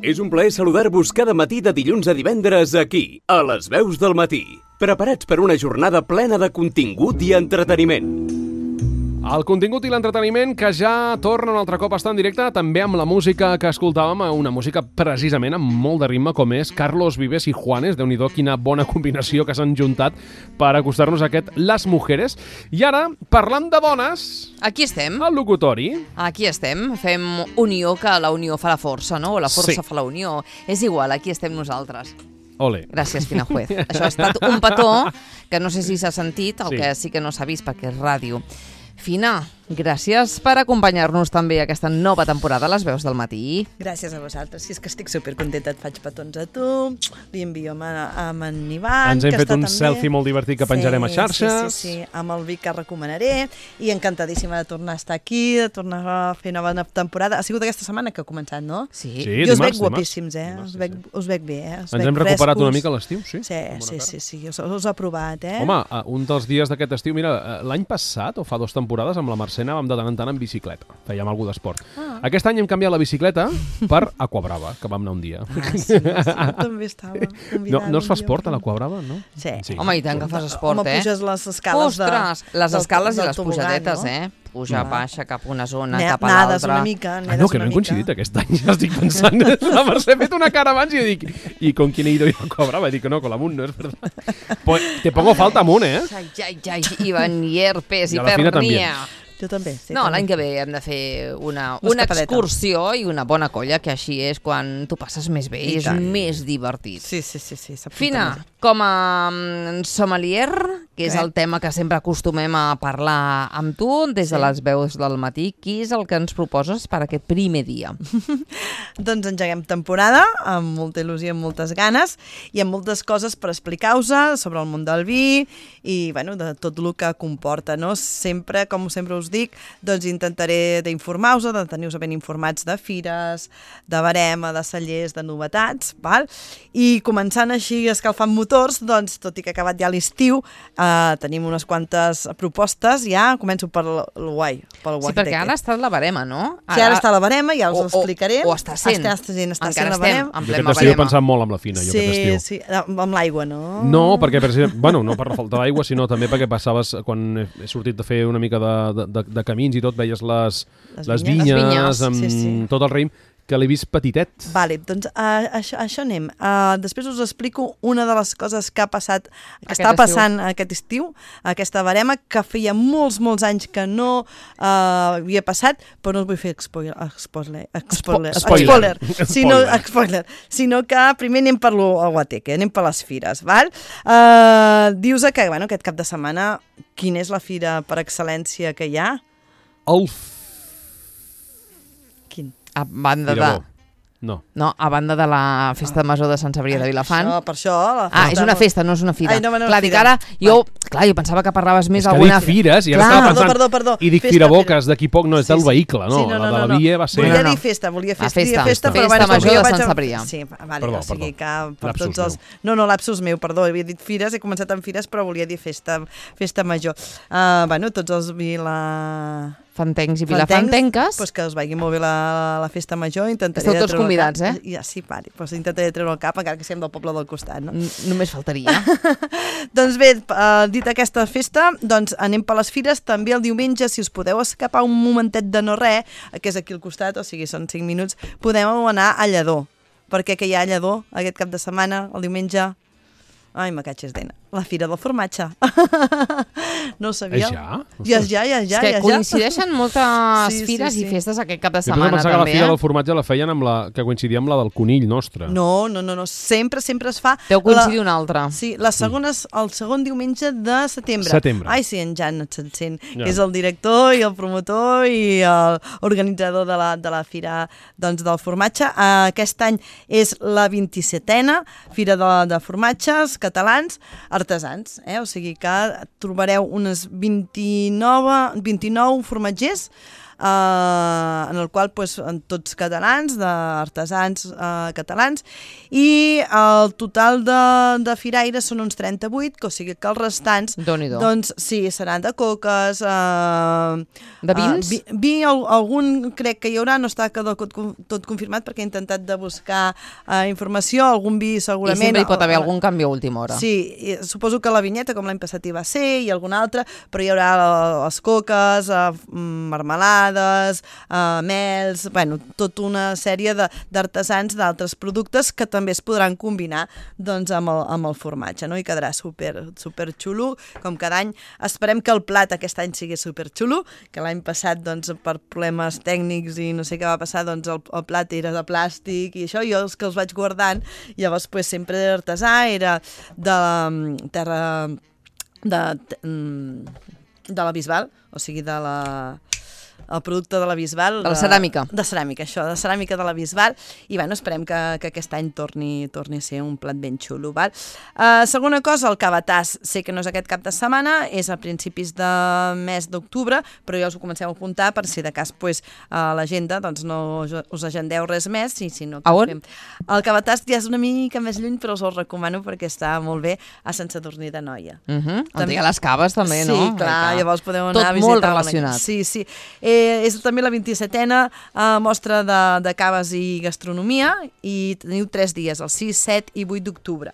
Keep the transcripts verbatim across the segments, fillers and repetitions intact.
És un plaer saludar-vos cada matí de dilluns a divendres aquí, a les veus del matí. Preparats per una jornada plena de contingut i entreteniment. El contingut i l'entreteniment que ja torna un altre cop a estar en directe, també amb la música que escoltàvem, una música precisament amb molt de ritme, com és Carlos Vives i Juanes. Déu-n'hi-do, quina bona combinació que s'han juntat per acostar-nos a aquest Las Mujeres. I ara, parlant de dones... Aquí estem. Al locutori. Aquí estem. Fem unió, que la unió fa la força, no? O la força Sí. fa la unió. És igual, aquí estem nosaltres. Ole. Gràcies, Fina Juez. Això ha estat un petó que no sé si s'ha sentit, el Sí. que sí que no s'ha vist perquè és ràdio. Fina, gràcies per acompanyar-nos també a aquesta nova temporada a Les Veus del Matí. Gràcies a vosaltres. Si és que estic supercontenta, et faig petons a tu, li envio amb, amb en Ivan, Ens hem que fet està un també. selfie molt divertit que penjarem sí, a xarxes. Sí, sí, sí, amb el Vic que recomanaré, i encantadíssima de tornar a estar aquí, de tornar a fer nova temporada. Ha sigut aquesta setmana que ha començat, no? Sí. Sí, Jo us dimarts, veig dimarts. guapíssims, eh? Dimarts, Us sí, veig, sí. us veig bé, eh? Us Ens veig hem recuperat frescos. una mica a l'estiu, sí? Sí, Amb bona sí, cara. sí, sí, us, us ho he provat, eh? Home, eh, un dels dies d'aquest estiu, mira, eh, l'any passat, o fa dues temporades, amb la Mercè anàvem de tant en tant en bicicleta. Fèiem alguna d'esport. Ah. Aquest any hem canviat la bicicleta per Aquabrava, que vam anar un dia. Ah, sí, sí, també estava No, convidada no es fa un dia, esport a però- l'Aquabrava, no? Sí. Home, i tant que fas esport, Home, eh? puges les escales de... Ostres, les del- escales i del les tobogan, pujadetes, no? eh? Puja, Mm. baixa, cap a una zona, Ne- cap a Nades l'altra. una mica, Ah, nedes no, que no una hem mica. coincidit aquest any, ja estic pensant. La Mercè ha fet una cara abans i dic, ¿y con quién he ido yo a Aquabrava? Y dic, no, con la Mun, no es verdad. Pues te pongo falta Mun, eh? Ai, ai, ai, Ivan, i herpes, I a la Fina hipernia. Jo també. Sí, No, també. l'any que ve hem de fer una, Una una escapadeta. excursió i una bona colla, que així és quan tu passes més bé i I és tant. més divertit. Sí, sí, sí. sí s'apunta Fina, més. com a mm, sommelier, que és Què? el tema que sempre acostumem a parlar amb tu, des de Sí. les veus del matí, qui és el que ens proposes per aquest primer dia? Doncs engeguem temporada, amb molta il·lusió i amb moltes ganes, i amb moltes coses per explicar-vos sobre el món del vi i, bueno, de tot el que comporta, no? Sempre, com sempre us dic, doncs intentaré d'informar-vos, de tenir-vos ben informats de fires, de barema, de cellers, de novetats, val? I començant així escalfant motors, doncs, tot i que ha acabat ja l'estiu, eh, tenim unes quantes propostes, ja començo per el guai, pel Sí, guai perquè ara està la barema, no? Sí, ara està a la barema, ja us o- ho explicaré. O, o està sent. Està, està sent, està Encara sent la estem barema. en Jo plena aquest estiu he barema. pensat molt amb la Fina, jo Sí, aquest estiu. sí, amb amb l'aigua, no? No, perquè, per exemple, bueno, no per la falta d'aigua, sinó també perquè passaves, quan he he sortit de fer una mica de, de, de camins i tot, veies les, Les les vinyes. vinyes, Les vinyes, amb sí, sí. tot el raïm, que l'he vist petitet. Vale, doncs uh, això, això anem. Uh, després us explico una de les coses que ha passat, que Aquest està estiu. passant aquest estiu, aquesta barema, que feia molts, molts anys que no uh, havia passat, però no us vull fer spoiler, spoiler, spoiler, Spoiler. spoiler, sinó, Spoiler. spoiler, sinó que primer anem per lo Guateque, anem per les fires, val? Uh, dius que, bueno, aquest cap de setmana, quina és la fira per excel·lència que hi ha? El Quin? A banda de... Firebó. No. No, a banda de la Festa Major de Sant Cebrià de Vilafant. Això, per això... La Ah, és una festa, no és una fira. Ai, no, no, clar, dic fira. ara, jo, clar, jo pensava que parlaves més És que alguna... dic fires i ara Clar. estava Perdó, pensant... perdó, perdó. I dic Festa, firaboques, d'aquí poc no és Sí, del sí. vehicle, no? Sí, no, no, La de la no, no. via va ser... Volia No, no. dir festa, volia Ah, festa, festa. dir festa, Festa però vaig Major jo de vaig Sant a- Cebrià. Sí, vale, Perdó, o sigui perdó. que per Lapsus tots els... meu. No, no, lapsus meu, perdó, havia dit fires, he començat amb fires, però volia dir festa, festa major. Uh, bueno, tots els vila... Fantencs i Fantencs, vilafantenques. Pues que us vagi molt bé la, la festa major, intentaré Esteu de tots treure el convidats, cap. eh? Ja, sí, vale, pues intentaré treure el cap, encara que siguem del poble del costat, no? N- Només faltaria. Doncs bé, uh, dit aquesta festa, doncs anem per les fires. També el diumenge, si us podeu escapar un momentet de no res, que és aquí al costat, o sigui, són cinc minuts, podeu anar a Lledó. Perquè que hi ha a Lledó aquest cap de setmana, el diumenge... Ai, me catxes d'ena. La Fira del Formatge. No ho sabia. És ja? Ja, ja, ja, ja. és que ja, ja. coincideixen moltes Sí, sí, fires sí. i festes aquest cap de Jo sempre setmana, pensava que la també. fira Eh? del formatge la feien amb la... que coincidia amb la del conill nostre. No, no, no, no. Sempre, sempre es fa... Deu coincidir la... una altra. Sí, la segona és el segon diumenge de setembre. Setembre. Ai, sí, en Jan se'n sent, Ja. que és el director i el promotor i l'organitzador de, la, de la Fira doncs, del Formatge. Uh, aquest any és la vint-i-setena Fira de, de Formatges Catalans Artesans, eh? O sigui que trobareu unes vint-i-nou, vint-i-nou formatgers eh, en el qual pues, tots catalans, d'artesans eh, catalans, i el total de, de firaires són uns trenta-vuit, que, o sigui que els restants doncs, sí, seran de coques, eh, de vins? Uh, vi, vi, algun crec que hi haurà, no està tot, tot confirmat perquè he intentat de buscar uh, informació, algun vi segurament... I sempre hi pot haver algun canvi a última hora. Sí, suposo que la vinyeta, com l'any passat hi va ser, i alguna altra, però hi haurà les coques, uh, marmelades, uh, mels, bueno, tota una sèrie d'artesans d'altres productes que també es podran combinar doncs, amb, el, amb el formatge, no? I quedarà super, super xulo, com cada any. Esperem que el plat aquest any sigui super xulo, que l'any passat, doncs, per problemes tècnics i no sé què va passar, doncs el, el plat era de plàstic i això, jo els que els vaig guardant, llavors pues, sempre era artesà, era de la terra de, de la Bisbal, o sigui, de la... el producte de la Bisbal. De la ceràmica. De, de ceràmica, això, de ceràmica de la Bisbal, i bueno, esperem que, que aquest any torni, torni a ser un plat ben xulo. Val? Uh, segona cosa, el cabatàs, sé que no és aquest cap de setmana, és a principis de mes d'octubre, però ja us ho comencem a apuntar per si de cas pues, a l'agenda doncs no us agendeu res més. I si no, a on? Fem. El cabatàs ja és una mica més lluny, però us el recomano perquè està molt bé a Sant Sadurní d'Anoia. Uh -huh. On hi ha les caves també, sí, no? Sí, clar, clar, llavors podeu anar tot a visitar. Tot molt relacionat. Sí, sí. Eh, és també la vint-i-setena eh, mostra de, de caves i gastronomia i teniu tres dies, el sis, set i vuit d'octubre.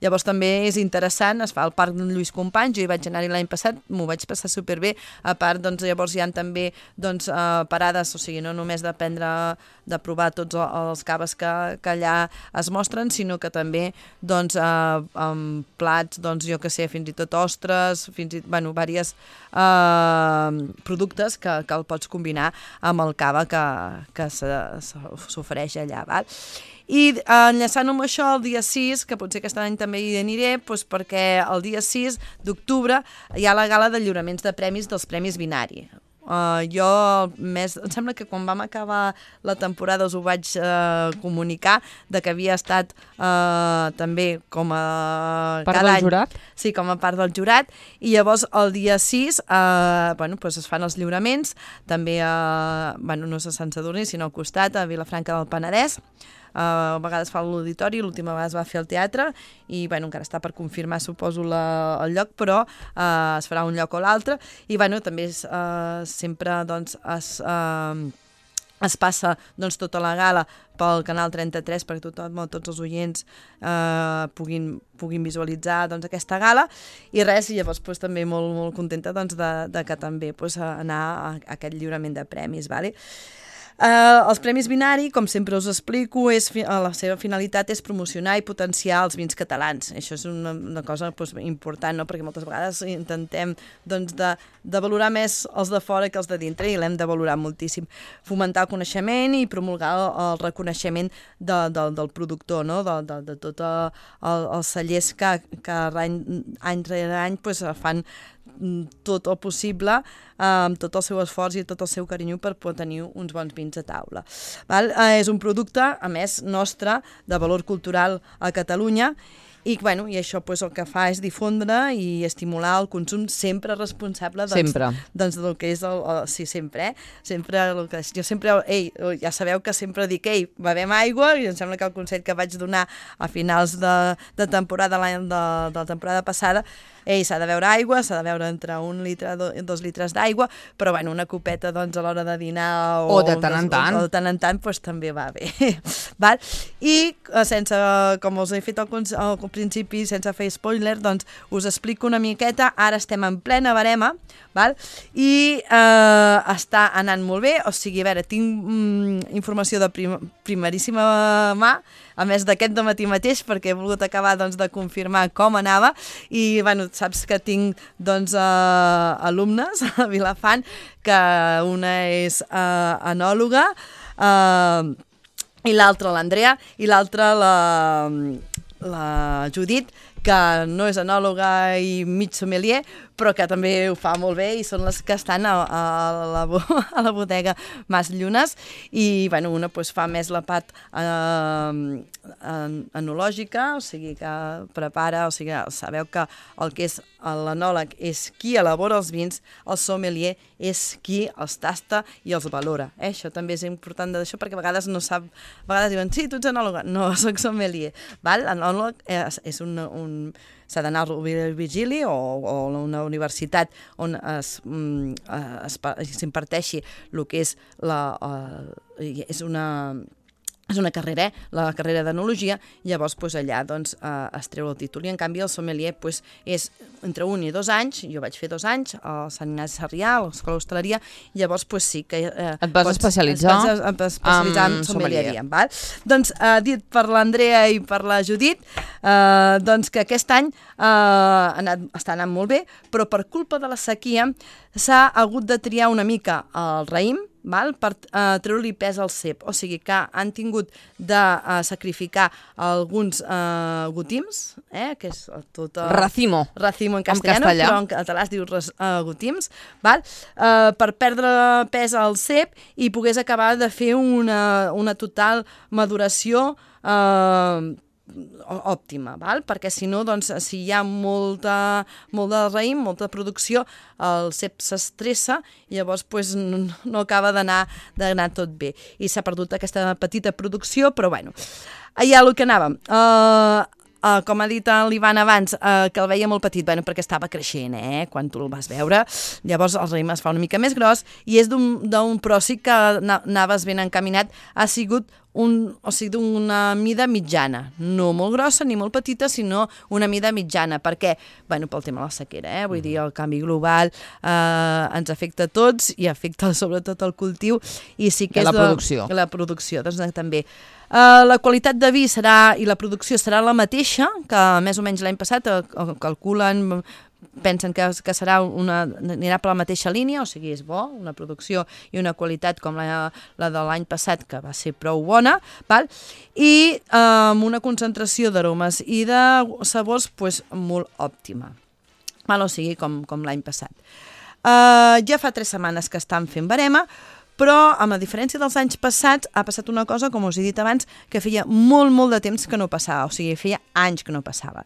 Llavors també és interessant, es fa al Parc de Lluís Companys, jo hi vaig anar-hi l'any passat, m'ho vaig passar superbé, a part doncs, llavors hi ha també doncs, eh, parades, o sigui, no només de prendre, de provar tots els caves que, que allà es mostren, sinó que també doncs, eh, amb plats, doncs, jo que sé, fins i tot ostres, fins i tot, bueno, diversos eh, productes que, que el pots combinar amb el cava que, que s'ofereix allà. Val? I enllaçant amb això el dia sis, que potser aquest any també hi aniré, doncs perquè el dia sis d'octubre hi ha la gala de lliuraments de premis dels Premis Binari. Uh, jo, més, em sembla que quan vam acabar la temporada us ho vaig uh, comunicar, de que havia estat uh, també com a... Part del any, jurat? Sí, com a part del jurat, i llavors el dia sis uh, bueno, pues es fan els lliuraments, també a, bueno, no és a Sant Sadurní, sinó al costat, a Vilafranca del Penedès. Uh, a vegades fa l'auditori, l'última vegada es va fer al teatre i bueno, encara està per confirmar suposo la, el lloc, però uh, es farà un lloc o l'altre i bueno, també és, uh, sempre doncs, es, uh, es passa doncs, tota la gala pel canal trenta-tres perquè tothom, tots els oients uh, puguin, puguin visualitzar doncs, aquesta gala i res, i llavors pues, també molt, molt contenta doncs, de, de que també pues, anar a, a aquest lliurament de premis, vale? Uh, els Premis Binari, com sempre us explico, és, la seva finalitat és promocionar i potenciar els vins catalans. Això és una, una cosa doncs, important, no? Perquè moltes vegades intentem doncs, de, de valorar més els de fora que els de dintre i l'hem de valorar moltíssim. Fomentar el coneixement i promulgar el, el reconeixement de, de, del productor, no? de, de, de tots el, els cellers que, que any, any rere any pues, fan tot el possible, amb tot el seu esforç i tot el seu carinyo per poder tenir uns bons vins a taula. Val? Eh, és un producte, a més, nostre, de valor cultural a Catalunya, i, bueno, i això pues, el que fa és difondre i estimular el consum sempre responsable doncs, sempre. doncs, del que és el, el, sí, sempre, eh? Sempre el que, jo sempre, ei, ja sabeu que sempre dic, ei, bevem aigua, i em sembla que el consell que vaig donar a finals de, de temporada de, de la temporada passada, ei, s'ha de beure aigua, s'ha de beure entre un litre i dos litres d'aigua, però bueno, una copeta doncs, a l'hora de dinar o, o de tant en tant, o de tant en tant doncs, també va bé. Val? I sense, com us he fet al, al principi, sense fer spoiler, doncs us explico una miqueta, ara estem en plena barema, val? I eh, està anant molt bé, o sigui, a veure, tinc mm, informació de prim, primeríssima mà, a més d'aquest de matí mateix, perquè he volgut acabar doncs, de confirmar com anava, i bueno, saps que tinc doncs, uh, alumnes a Vilafant, que una és uh, enòloga, uh, i l'altra l'Andrea, i l'altra la, la Judit, que no és enòloga i mig sommelier, però que també ho fa molt bé i són les que estan a, a, la, a la bodega Mas Llunes i bueno, una pues, fa més la part eh, enològica, o sigui que prepara, o sigui, sabeu que el que és l'enòleg és qui elabora els vins, el sommelier és qui els tasta i els valora. Eh? Això també és important d'això perquè a vegades no sap, a vegades diuen, sí, tu ets enòleg, no, soc sommelier. L'enòleg és, és un, un s'ha d'anar a Virgili o, o a una universitat on es, es, s'imparteixi el que és la, uh, és una és una carrera, eh? la carrera d'enologia, llavors pues, allà doncs, eh, es treu el títol. I en canvi el sommelier pues, és entre un i dos anys, jo vaig fer dos anys a Sant Ignasi Sarrià, a l'Escola d'Hostaleria, llavors pues, sí que... Eh, Et vas pots, especialitzar, es vas especialitzar en sommelieria. Val? Doncs eh, dit per l'Andrea i per la Judit, eh, doncs que aquest any eh, ha anat, està anant molt bé, però per culpa de la sequia s'ha hagut de triar una mica el raïm, val? Per uh, treure-li pes al cep, o sigui que han tingut de uh, sacrificar alguns uh, gotims, eh? Que és tot... Uh, racimo. Racimo en castellano, en però en català es diu uh, gotims, val? Uh, per perdre pes al cep i pogués acabar de fer una, una total maduració uh, òptima, val? Perquè si no, doncs, si hi ha molta, molt de raïm, molta producció, el cep s'estressa i llavors pues, no, no acaba d'anar d'anar tot bé. I s'ha perdut aquesta petita producció, però bueno, allà el que anàvem. Uh, Uh, com ha dit l'Ivan abans, uh, que el veia molt petit, bueno, perquè estava creixent, eh, quan tu el vas veure. Llavors el raïm es fa una mica més gros i és d'un pròssic que anaves ben encaminat, ha sigut un, o sigui, d'una mida mitjana, no molt grossa ni molt petita, sinó una mida mitjana. Per què? Bueno, pel tema de la sequera, eh? Vull dir, el canvi global eh, ens afecta a tots i afecta sobretot el cultiu i sí que I és la producció. De, la producció, doncs també. Uh, la qualitat de vi serà i la producció serà la mateixa que més o menys l'any passat, uh, calculen, pensen que, que serà una, anirà per la mateixa línia, o sigui, és bo, una producció i una qualitat com la, la de l'any passat, que va ser prou bona, val? I uh, amb una concentració d'aromes i de sabors pues, molt òptima, val? O sigui, com, com l'any passat. Uh, ja fa tres setmanes que estan fent barema, però, amb la diferència dels anys passats, ha passat una cosa, com us he dit abans, que feia molt, molt de temps que no passava, o sigui, feia anys que no passava.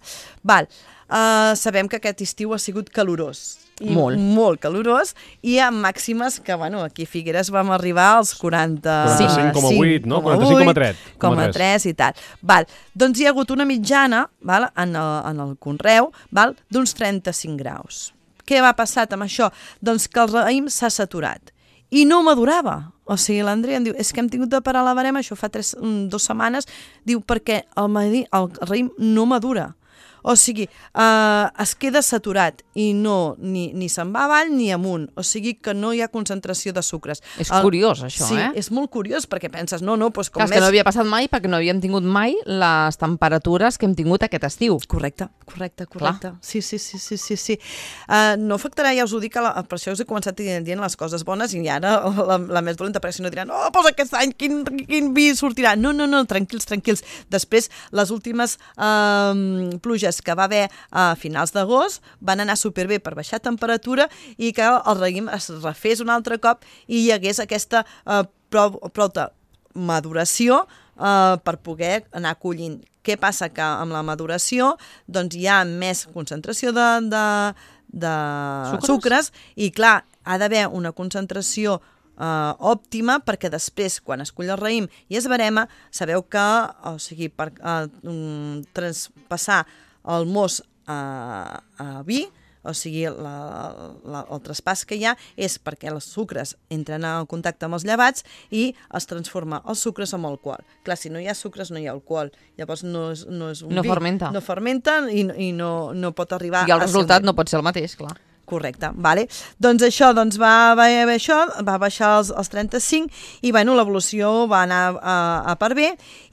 Val, uh, sabem que aquest estiu ha sigut calorós. I molt. Molt calorós, i amb màximes que, bueno, aquí a Figueres vam arribar als quaranta-cinc coma vuit, no? quaranta-cinc coma tres. quaranta-cinc coma tres i tal. Val, doncs hi ha hagut una mitjana, val, en, el, en el conreu, val, d'uns trenta-cinc graus. Què va passar amb això? Doncs que el raïm s'ha saturat. I no madurava. O sigui, l'Andrea em diu, és que hem tingut de parar la barema, això fa tres, dues setmanes, diu, perquè el, el raïm no madura. O sigui, eh, es queda saturat i no, ni, ni se'n va avall ni amunt. O sigui que no hi ha concentració de sucres. És el, curiós, això, sí, eh? Sí, és molt curiós, perquè penses, no, no, doncs com Clar, més... que no havia passat mai perquè no havíem tingut mai les temperatures que hem tingut aquest estiu. Correcte, correcte, correcte. Clar. Sí, sí, sí, sí, sí. sí. Uh, no afectarà, ja us ho dic, la, per això us he començat dient les coses bones i ara la, la més dolenta, perquè si no diran, oh, doncs aquest any quin, quin vi sortirà. No, no, no, tranquils, tranquils. Després, les últimes uh, pluges que va haver a finals d'agost van anar superbé per baixar temperatura i que el raïm es refés un altre cop i hi hagués aquesta eh, prou, prou de maduració eh, per poder anar collint. Què passa? Que amb la maduració doncs, hi ha més concentració de, de, de sucres? sucres i clar, ha d'haver una concentració Uh, òptima, perquè després, quan es cull el raïm i es barema, sabeu que, o sigui, per uh, um, traspassar el mos a, a vi, o sigui, la, la, el traspàs que hi ha és perquè els sucres entren en contacte amb els llevats i es transforma els sucres en alcohol. Clar, si no hi ha sucres no hi ha alcohol, llavors no és, no és un no vi. Fermenta. No fermenta i, i no, no pot arribar... I el resultat no pot ser el mateix, clar. Correcte, vale. Doncs això doncs va, va, això, va baixar als, als trenta-cinc i bueno, l'evolució va anar a, a per bé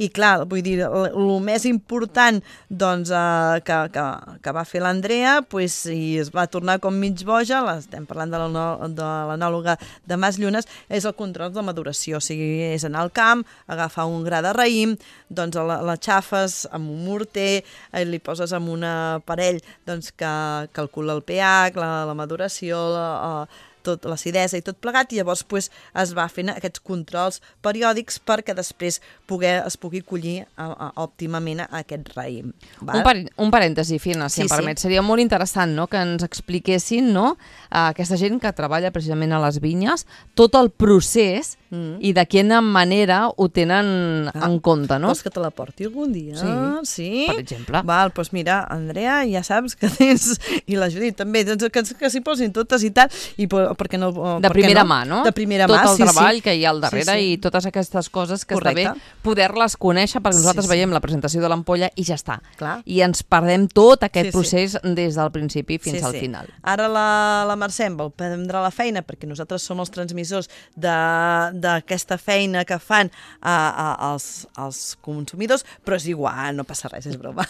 i clar, vull dir, el més important doncs, uh, que, que, que va fer l'Andrea pues, i es va tornar com mig boja, estem parlant de l'anòloga de Mas Llunes, és el control de maduració, o sigui, és anar al camp, agafar un gra de raïm, doncs la, la xafes amb un morter, eh, li poses amb un aparell doncs, que calcula el pH, la la maduració, la, tot l'acidesa i tot plegat, i llavors pues, es va fent aquests controls periòdics perquè després poder, es pugui collir a, a, òptimament aquest raïm. Un, par un parèntesi, Fina, si sí, em permet. Sí. Seria molt interessant, no?, que ens expliquessin, no?, aquesta gent que treballa precisament a les vinyes, tot el procés mm. i de quina manera ho tenen ah. en compte, no? Vols que te la porti algun dia? Sí, sí? Per exemple. Val, doncs mira, Andrea, ja saps que tens, i la Judit també, doncs que, que s'hi posin totes i tal, i perquè no... De primera no? mà, no? De primera Tot mà, el sí, treball sí. que hi ha al darrere sí, sí. i totes aquestes coses que Correcte. Està bé poder-les conèixer, perquè nosaltres sí, sí. veiem la presentació de l'ampolla i ja està. Clar. I ens perdem tot aquest sí, procés sí. des del principi fins sí, al sí. final. Ara la, la Mercè em vol prendre la feina, perquè nosaltres som els transmissors d'aquesta feina que fan a, a, als, als consumidors, però és igual, no passa res, és broma.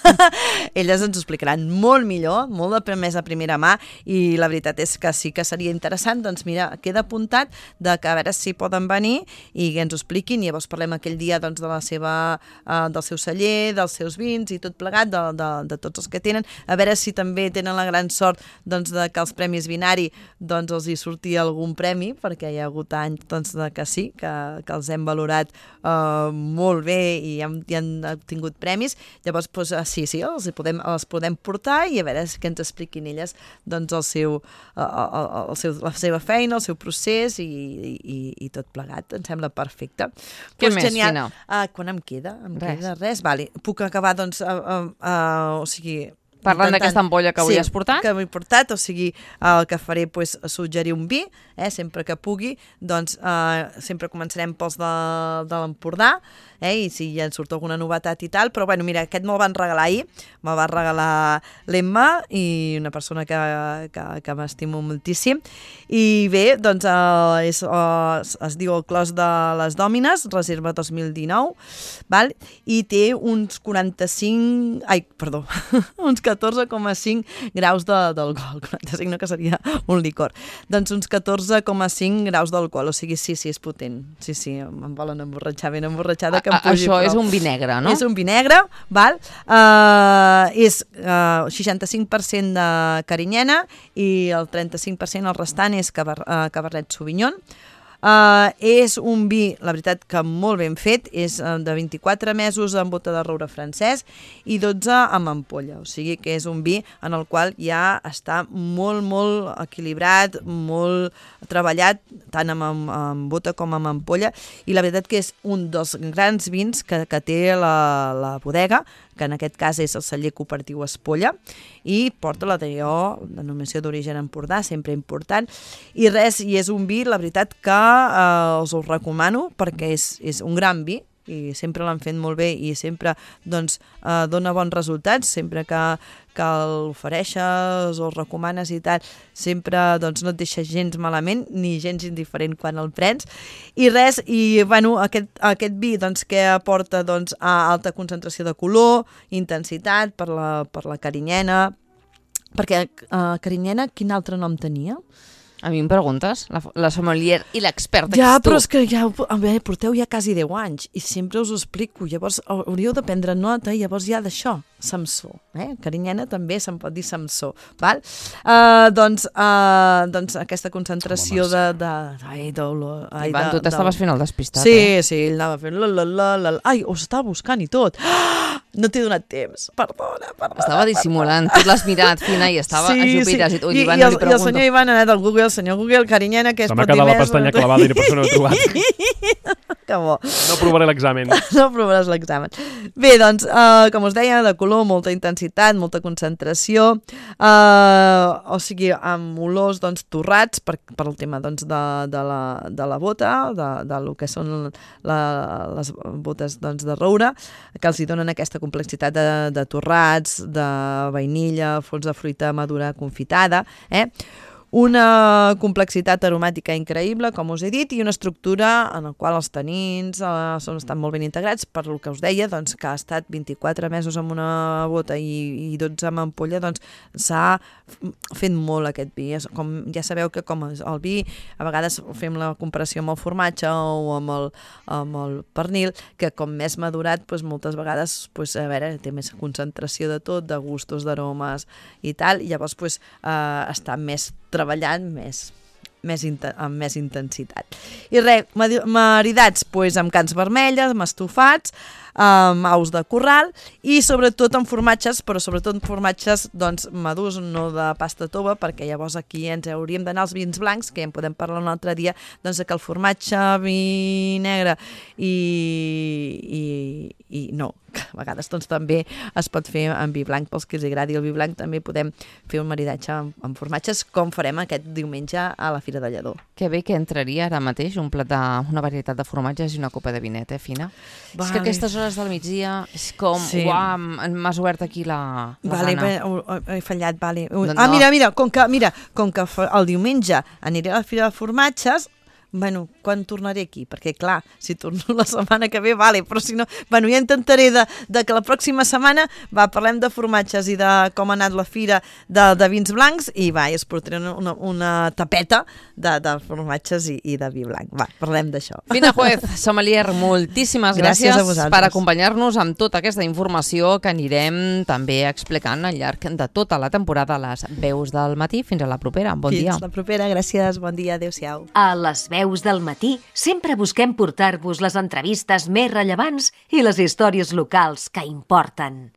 Elles ens ho explicaran molt millor, molt de més a primera mà, i la veritat és que sí que seria interessant, doncs mira, queda apuntat de que a veure si poden venir i que ens ho expliquin, i llavors parlem aquell dia doncs, de la seva, uh, del seu celler, dels seus vins i tot plegat, de, de, de tots els que tenen, a veure si també tenen la gran sort doncs, de que els premis Vinari doncs, els hi surti algun premi, perquè hi ha hagut anys doncs, de que sí, que, que els hem valorat uh, molt bé i han, i han obtingut premis, llavors doncs, uh, sí, sí, els podem, els podem portar i a veure que ens expliquin elles doncs, el seu, uh, el, el seu, la seva feina, el seu procés i, i, i tot plegat. Em sembla perfecte. Què pues més, genial. Fina? Uh, quan em queda? Em res. queda res? Vale. Puc acabar, doncs, uh, uh, uh, o sigui... Parlant d'aquesta ampolla que avui sí, has portat? que avui he portat, o sigui, el que faré pues, suggerir un vi, eh, sempre que pugui, doncs eh, sempre començarem pels de, de l'Empordà, eh, i si ja en surt alguna novetat i tal, però bueno, mira, aquest me'l van regalar ahir, me'l va regalar l'Emma, i una persona que, que, que m'estimo moltíssim, i bé, doncs eh, és, eh, es diu el Clos de les Dòmines, reserva dos mil dinou, val? I té uns quaranta-cinc, ai, perdó, uns catorze coma cinc graus d'alcohol, quaranta-cinc no, que seria un licor, doncs uns catorze coma cinc graus d'alcohol, o sigui, sí, sí, és potent, sí, sí, em volen emborratxar ben emborratxada que em pugi. Això és un vi negre, no? És un vi negre, val? Uh, és uh, seixanta-cinc per cent de carinyena i el trenta-cinc per cent el restant és caber, uh, Cabernet Sauvignon. Uh, és un vi, la veritat, que molt ben fet, és uh, de vint-i-quatre mesos en bota de roure francès i dotze amb ampolla, o sigui que és un vi en el qual ja està molt, molt equilibrat, molt treballat, tant amb, amb, amb bota com amb ampolla, i la veritat que és un dels grans vins que, que té la, la bodega, que en aquest cas és el celler cooperatiu Espolla, i porta la denominació d'origen Empordà, sempre important, i res, i és un vi, la veritat, que eh, us ho recomano, perquè és, és un gran vi, i sempre l'han fet molt bé i sempre doncs, eh, dona bons resultats, sempre que, que l'ofereixes o el recomanes i tal, sempre doncs, no et deixa gens malament ni gens indiferent quan el prens. I res, i bueno, aquest, aquest vi doncs, que aporta doncs, a alta concentració de color, intensitat per la, per la carinyena, perquè eh, carinyena quin altre nom tenia? A mi em preguntes? La, la sommelier i l'experta ja, que ets tu. Però és que ja, a veure, porteu ja quasi deu anys i sempre us ho explico. Llavors hauríeu de prendre nota i llavors ja d'això, Samsó. Eh? Carinyena també se'n pot dir Samsó. Val? Uh, doncs, uh, doncs aquesta concentració de... de ai, d'olor... Ivan, tu t'estaves fent el despistat, sí, eh? Sí, ell anava fent... La, la, la, la, ai, ho estava buscant i tot. Ah, no t'he donat temps. Perdona, perdona. Estava dissimulant. Tu l'has mirat, Fina, i estava sí, a Jupiter. Sí. I, I, Ivan, i, el, no li i el senyor Ivan ha anat al Google, el senyor Google, carinyena, que és pot dir més... Se m'ha quedat la pestanya clavada i per això no he trobat. Que bo. No provaré l'examen. No provaràs l'examen. Bé, doncs, uh, com us deia, de color, molta intensitat, molta concentració, uh, o sigui, amb olors doncs, torrats per, per el tema doncs, de, de, la, de la bota, de, de lo que són la, les botes doncs, de roure, que els hi donen aquesta complexitat de, de torrats, de vainilla, fons de fruita madura confitada, eh? Una complexitat aromàtica increïble, com us he dit, i una estructura en la qual els tanins eh, són, estan molt ben integrats, per el que us deia, doncs, que ha estat vint-i-quatre mesos amb una bota i, i dotze amb ampolla, doncs s'ha fet molt aquest vi. Com, ja sabeu que com el vi, a vegades fem la comparació amb el formatge o amb el, amb el pernil, que com més madurat, doncs, moltes vegades doncs, a veure, té més concentració de tot, de gustos, d'aromes i tal, i llavors doncs, eh, està més treballant més, més amb més intensitat. I res, maridats pues, amb cans vermelles, amb estofats, amb aus de corral i sobretot amb formatges, però sobretot amb formatges doncs, madurs, no de pasta tova, perquè llavors aquí ens hauríem d'anar als vins blancs, que ja en podem parlar un altre dia, doncs que el formatge, vi negre i, i, i no, que a vegades doncs, també es pot fer amb vi blanc, pels que els agradi el vi blanc també podem fer un maridatge amb, amb formatges, com farem aquest diumenge a la Fira de Lledó. Que bé que entraria ara mateix un plat de, una varietat de formatges i una copa de vinet, eh, Fina? Vale. És que aquestes hores del migdia és com, sí. Uau, m'has obert aquí la, la vale, gana. He, he fallat, vale. No, no. Ah, mira, mira, com que, mira, com que el diumenge aniré a la Fira de Formatges, bueno, quan tornaré aquí? Perquè, clar, si torno la setmana que ve, vale, però si no... Bueno, ja intentaré de, de que la pròxima setmana, va, parlem de formatges i de com ha anat la fira de, de vins blancs i, va, i es portaré una, una, una tapeta de, de formatges i, i de vi blanc. Va, parlem d'això. Fina Juez, sommelier, moltíssimes gràcies, gràcies per acompanyar-nos amb tota aquesta informació que anirem també explicant al llarg de tota la temporada a les veus del matí. Fins a la propera. Bon Fins dia. Fins la propera. Gràcies. Bon dia. Adéu-siau. A les veus del matí sempre busquem portar-vos les entrevistes més rellevants i les històries locals que importen.